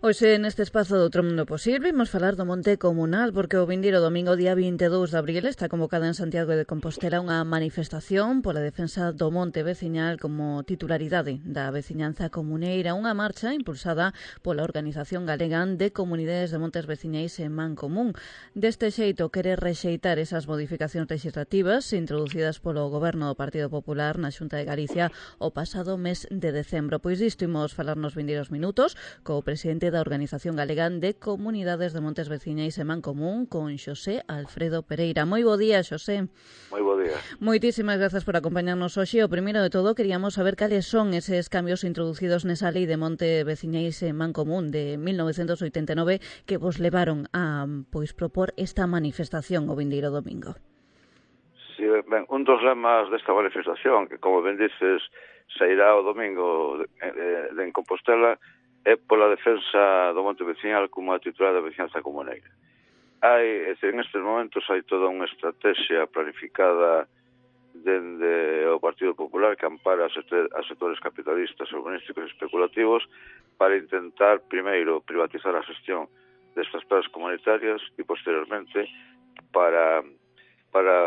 Hoxe neste espazo do Outro Mundo Posible imos falar do Monte Comunal porque o vindeiro domingo día 22 de abril está convocada en Santiago de Compostela unha manifestación pola defensa do monte veciñal como titularidade da veciñanza comuneira, unha marcha impulsada pola Organización Galega de Comunidades de Montes Veciñais en Mancomún. Deste xeito quere rexeitar esas modificacións legislativas introducidas polo Goberno do Partido Popular na Xunta de Galicia o pasado mes de decembro. Pois disto imos falar nos vindeiros minutos co presidente da Organización Galega de Comunidades de Montes Veciñais en Mancomún, con Xosé Alfredo Pereira. Moi bo día, Xosé. Moi bo día. Moitísimas grazas por acompañarnos hoxe. O primeiro de todo, queríamos saber cales son eses cambios introducidos nesa lei de Monte Veciñais en Mancomún de 1989 que vos levaron a propor esta manifestación o vindeiro domingo. Sí, ben, un dos lemas desta manifestación, que como ben dices, sairá o domingo en Compostela, é pola defensa do monte veciñal como a titular da veciñanza comuneira. En estes momentos hai toda unha estrategia planificada dende o Partido Popular que ampara a sectores capitalistas, urbanísticos e especulativos para intentar, primeiro, privatizar a xestión destas plazas comunitarias e, posteriormente, para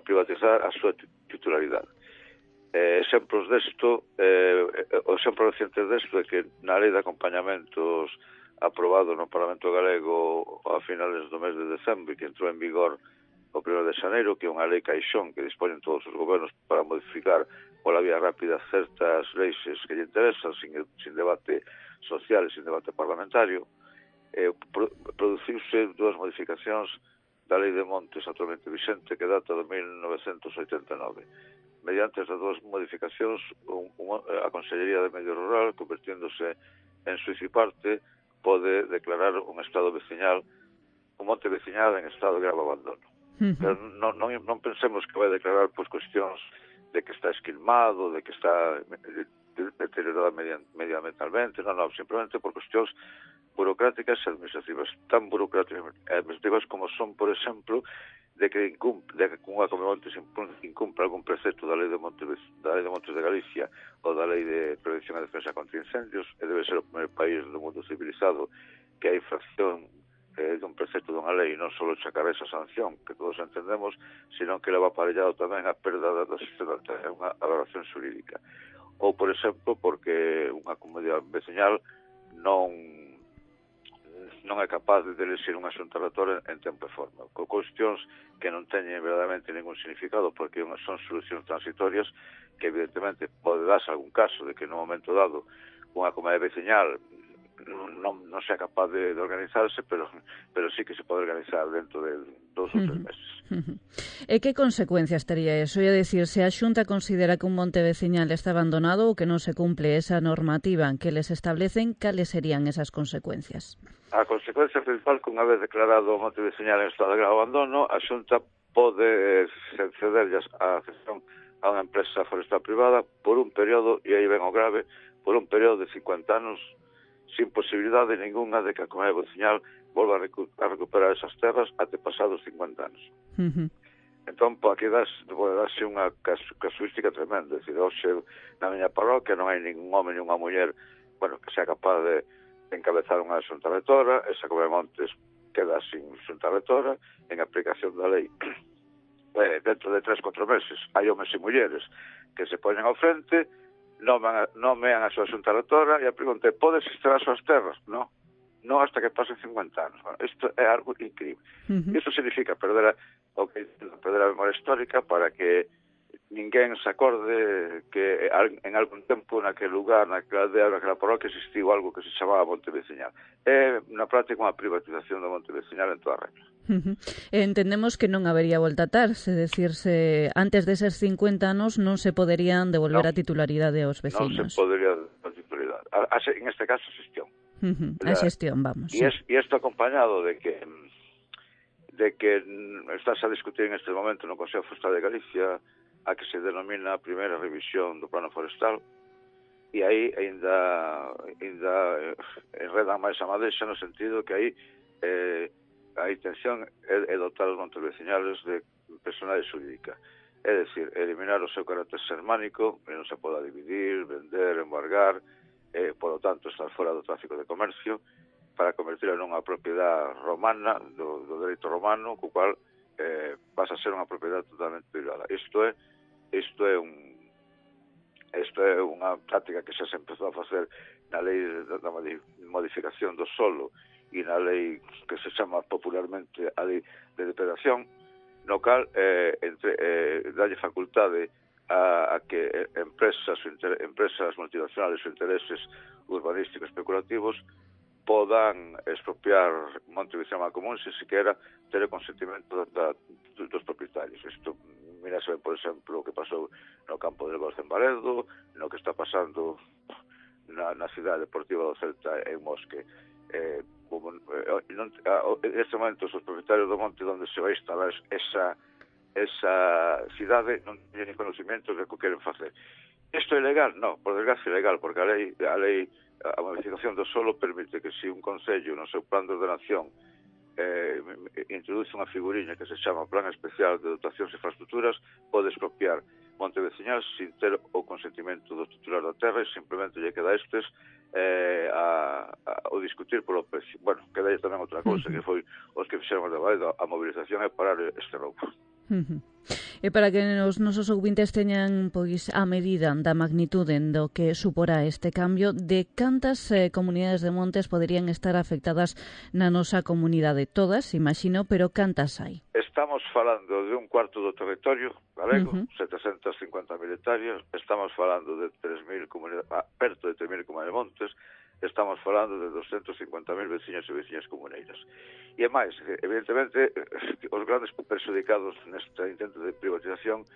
privatizar a súa titularidade. Exemplos desto, o exemplo reciente desto é que na lei de acompañamentos aprobado no Parlamento Galego a finales do mes de decembro que entrou en vigor o 1 de xaneiro, que é unha lei caixón que dispoñen todos os gobernos para modificar pola vía rápida certas leis que lle interesan sin debate social e sin debate parlamentario, produciuse dúas modificacións da lei de montes actualmente vixente que data de 1989. Mediante estas dúas modificacións, a Consellería de Medio Rural, convertíndose en suíz e parte, pode declarar un estado veciñal, un monte veciñal en estado de grave abandono. Pero non pensemos que vai declarar cuestións de que está esquilmado, de que está deteriorado medioambientalmente, non, simplemente por cuestións burocráticas e administrativas, tan burocráticas e administrativas como son, por exemplo, de que unha Comunidade de Montes incumpra algún precepto da Lei de Montes de Galicia ou da Lei de Prevención e Defensa contra Incendios, e debe ser o primeiro país do mundo civilizado que a infracción dun precepto dunha lei non só chacar esa sanción, que todos entendemos, sino que leva aparellado tamén a perda da existencia, unha valoración xurídica. Ou, por exemplo, porque unha comunidade veciñal non é capaz de elegir unha xunta rectora en tempo e forma, con cuestións que non teñen verdadeiramente ningún significado, porque son solucións transitorias que evidentemente pode darse algún caso de que no momento dado unha comunidade veciñal non sea capaz de organizarse, pero sí que se pode organizar dentro de 2 ou 3 meses. E que consecuencias tería eso? É dicir, se a Xunta considera que un monte veciñal está abandonado ou que non se cumple esa normativa que les establecen, cales serían esas consecuencias? A consecuencia principal, que unha vez declarado o monte veciñal en estado de grave abandono, a Xunta pode cederlles a cesión a unha empresa forestal privada por un período, e aí ven o grave, por un período de 50 anos sin posibilidade ninguna de que a comunidade veciñal volva a recuperar esas terras até pasados 50 anos. Entón, aquí pode darse unha casuística tremenda. Decir, hoxe, na miña parroquia non hai ningún home ni unha muller que sea capaz de encabezar unha xunta rectora, esa comunidade Montes queda sin xunta rectora, en aplicación da lei. Dentro de 3-4 meses hai homes e mulleres que se poñen ao frente, nomean a súa xunta rectora e a pregunta é: pode existir as súas terras? Non hasta que pasen 50 anos. Isto é algo increíble. Isto significa perder a memoria histórica para que ninguén se acorde que en algún tempo naquele lugar, naquela aldea, naquela parroquia existiu algo que se chamaba monte veciñal. É na práctica unha privatización do monte veciñal en toda a regla. Entendemos que non habería volta atrás, é dicir, se antes deses 50 anos non se poderían devolver a titularidade aos vecinos. Non se podería a titularidade. En este caso, a xestión. A xestión, vamos. E isto acompañado de que estás a discutir en este momento no Consello Forestal de Galicia a que se denomina a primeira revisión do plano forestal, e aí ainda enredan máis a madexa no sentido que aí a intención é dotar os montes veciñales de personalidade xurídica. É dicir, eliminar o seu carácter xermánico, que non se poda dividir, vender, embargar, por lo tanto, estar fora do tráfico de comercio, para convertirla nunha propiedade romana, do dereito romano, co cual pasa a ser unha propiedade totalmente privada. Isto é unha práctica que xa se empezou a facer na lei da modificación do solo e na lei que se chama popularmente a lei de depredación, no cal dalle facultade a que empresas multinacionales ou intereses urbanísticos especulativos podan expropiar monte veciñal común se sequera ter o consentimento dos propietarios. Isto, mirase ben, por exemplo, o que pasou no campo del Golf en Baredo, no que está pasando na cidade deportiva do Celta en Mosque. En este momento, os propietarios do monte onde se vai instalar esa cidade non teñen conocimiento de que queren facer. Isto é ilegal? Non, por desgracia é ilegal, porque a modificación do solo permite que se un concello no seu plan de ordenación introduce unha figuriña que se chama Plan Especial de Dotacións e Infraestructuras, pode expropiar monte veciñal sin ter o consentimento do titular da terra e simplemente lle queda estes o discutir polo precio. Bueno, queda tamén outra cousa, que foi os que fixeron a mobilización e parar este roubo. E para que os nosos ouvintes teñan pois a medida da magnitude do que suporá este cambio, de cantas comunidades de montes poderían estar afectadas na nosa comunidade? Todas, imagino, pero cantas hai? Estamos falando de un cuarto do territorio galego, 750.000 hectáreas, estamos falando de 3.000 comunidades, perto de 3.000 comunidades de montes, estamos falando de 250.000 veciños e veciñas comuneiras. E é máis, evidentemente, os grandes perxudicados neste intento de privatización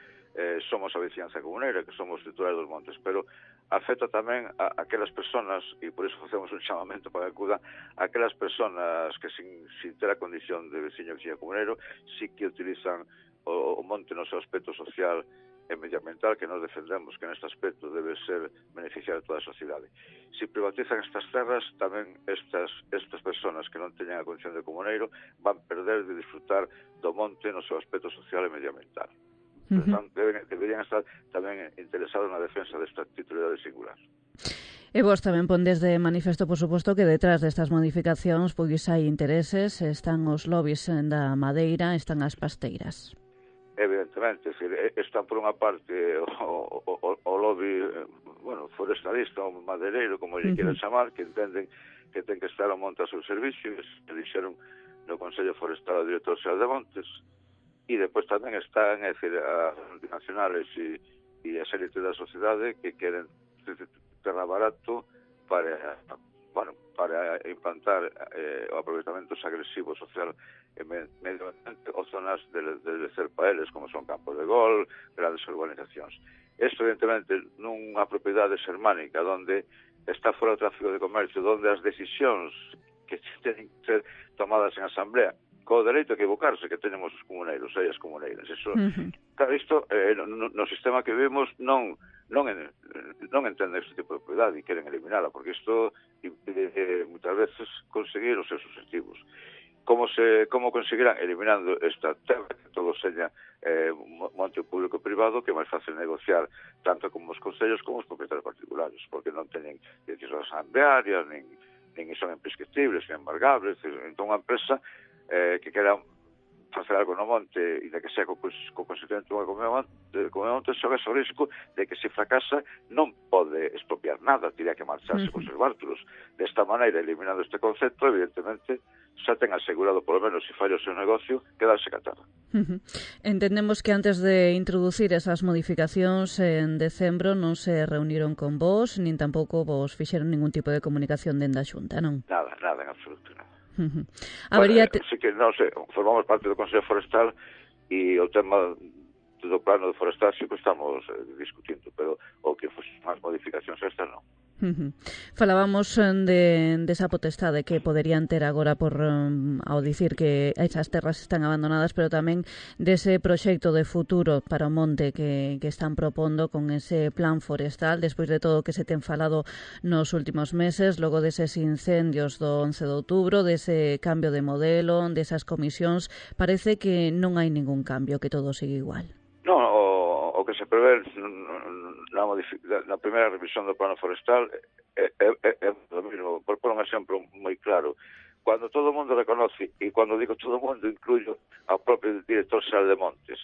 somos a veciñanza comuneira, que somos titulares dos montes, pero afecta tamén a aquelas persoas, e por iso facemos un chamamento para que acudan, a aquelas persoas que sin ter a condición de veciño e veciña comuneiro, sí que utilizan o monte no seu aspecto social e medioambiental, que nos defendemos que neste aspecto debe ser beneficiar a toda a sociedade. Se privatizan estas terras, tamén estas persoas que non teñen a condición de comuneiro van perder de disfrutar do monte no seu aspecto social e medioambiental. Deberían estar tamén interesados na defensa desta titularidade singular. E vos tamén pondes de manifesto, por suposto, que detrás destas modificacións pois hai intereses, están os lobbies da madeira, están as pasteiras. Evidentemente, están por unha parte o lobby forestalista ou madeireiro, como lle quieran chamar, que entenden que ten que estar o monte a seu servicio, que dixeron no Consello Forestal ao director xeral de Montes, e depois tamén están, as multinacionales e as élites da sociedade que queren terra barato para implantar o aproveitamento agresivo social e medioambiente ou zonas de ser para eles, como son campos de gol, grandes urbanizacións. Isto, evidentemente, nunha propiedade xermánica onde está fora o tráfico de comercio, onde as decisións que teñen que ser tomadas en asamblea co dereito a equivocarse que tenemos os comuneiros e as comuneiras. Claro, isto no sistema que vivimos non entende este tipo de propiedade e queren eliminala, porque isto impide moitas veces conseguir os seus objetivos. Como conseguirán? Eliminando esta terra, que todo seña monte público-privado, que é máis fácil negociar tanto como os concellos como os propietarios particulares, porque non teñen decisións asamblearias, nin son imprescriptibles, nin embargables. Entón, unha empresa que quera facer algo no monte e de que sea co consentimento do monte, xoga o risco de que se fracasa non pode expropiar nada, tiría que marcharse con seus bártulos. Desta maneira, eliminando este concepto, evidentemente xa ten asegurado, polo menos, se falla o seu negocio, quedarse ca terra. Entendemos que antes de introducir esas modificacións en decembro non se reuniron con vos, nin tampouco vos fixeron ningún tipo de comunicación dende a Xunta, non? Nada, en absoluto, nada. Sí que, non sei, formamos parte do Consello Forestal e o tema do plano de forestal sí que estamos discutindo, pero o que fose máis modificacións estas non. Falábamos desa potestade que poderían ter agora ao dicir que esas terras están abandonadas, pero tamén dese proxecto de futuro para o monte que están propondo con ese plan forestal, despois de todo o que se ten falado nos últimos meses, logo deses incendios do 11 de outubro, dese cambio de modelo, desas comisións, parece que non hai ningún cambio, que todo sigue igual. Non, o que que se prevé na primeira revisión do plano forestal é o mismo. Por un exemplo moi claro, cando todo o mundo reconoce, e cando digo todo o mundo incluyo ao propio director xeral de Montes,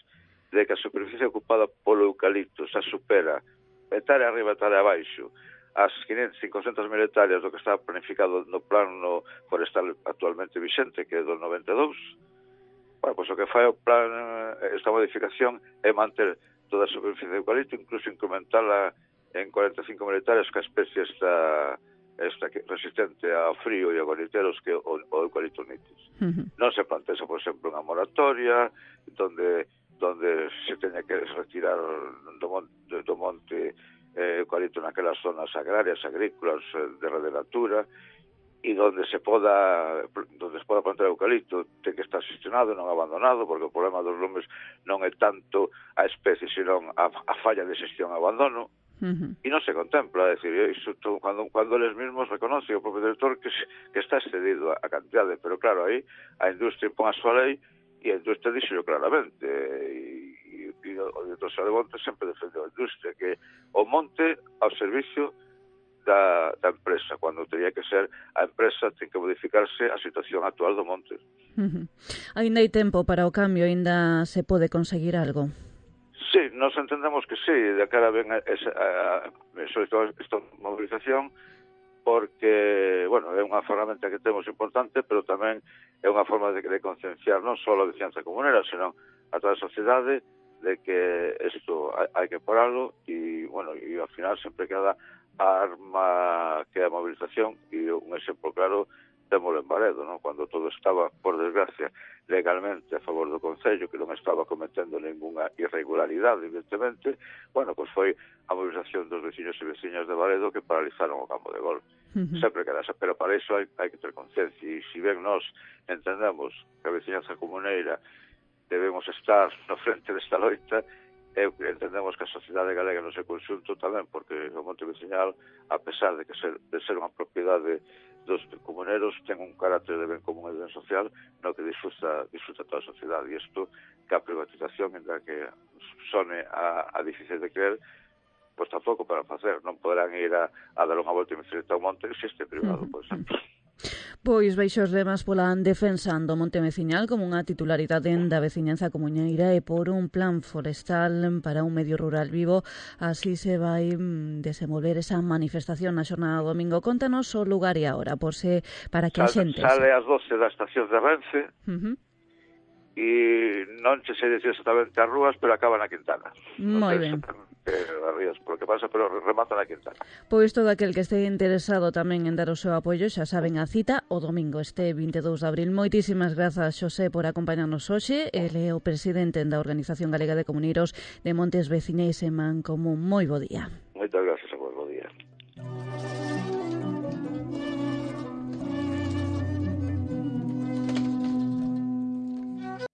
de que a superficie ocupada polo eucalipto xa supera hectárea arriba, hectárea abaixo, as 500-500.000 hectáreas do que está planificado no plano forestal actualmente vixente, que é do 92, bueno, pois o que fai o plan, esta modificación, é manter toda a superficie de eucalipto, incluso incrementala en 45.000 hectáreas, que a especie está resistente ao frío e a guariteros, que o eucalipto nitis. Non se plantea, por exemplo, unha moratoria donde se teña que retirar do monte eucalipto naquelas zonas agrarias, agrícolas, de rederatura, e donde se poda plantar eucalipto ten que estar xestionado, non abandonado, porque o problema dos lumes non é tanto a especie, senón a falla de xestión e abandono. E non se contempla, é dicir, iso cando eles mesmos reconoce o propio director que está excedido a cantidade, pero claro, aí a industria pon a súa lei e a industria dixo claramente, e o director xeral de Montes sempre defendeu a industria, que o monte ao servicio da empresa, cando teria que ser a empresa ten que modificarse a situación actual do monte. Ainda hai tempo para o cambio, ainda se pode conseguir algo? Sí, nos entendemos que sí, de cara ven sobre todo esta movilización, porque, bueno, é unha ferramenta que temos importante, pero tamén é unha forma de concienciar non só a veciñanza comunera, senón a toda a sociedade de que isto hai que paralo e, bueno, e ao final sempre queda a arma que é a movilización, e un exemplo claro témolo en Baredo, non? Cando todo estaba, por desgracia, legalmente a favor do Concello, que non estaba cometendo ninguna irregularidade, evidentemente, bueno, pois foi a movilización dos veciños e veciñas de Baredo que paralizaron o campo de golf. Sempre queda, pero para iso hai que ter conciencia, e se ben nós entendemos que a veciñanza comuneira debemos estar no frente desta loita, entendemos que a sociedade galega no seu conxunto tamén, porque o monte veciñal, a pesar de ser unha propiedade dos comuneros, ten un carácter de ben común e ben social no que disfruta toda a sociedade, e isto que a privatización, en que sone a difícil de creer, pois tampouco para facer, non poderán ir a dar unha volta e meter ao monte se este privado, por exemplo. Pois baixo os lemas pola defensa do monte veciñal como unha titularidade da veciñanza comuñeira e por un plan forestal para un medio rural vivo, así se vai desenvolver esa manifestación na xornada do domingo. Contanos o lugar e a hora, para que a xente... Sale ás 12 da estación de Renfe, e non se sei dicir exactamente as rúas, pero acaba na Quintana. Moi ben. Por que pasa, pero remata na Quintana. Pois todo aquel que este interesado tamén en dar o seu apoio, xa saben a cita o domingo, este 22 de abril. Moitísimas grazas, Xosé, por acompañarnos hoxe. Ele é o presidente da Organización Galega de Comuneiros de Montes Veciñais e Mancomún. Moi bo día. Moitas grazas a vos.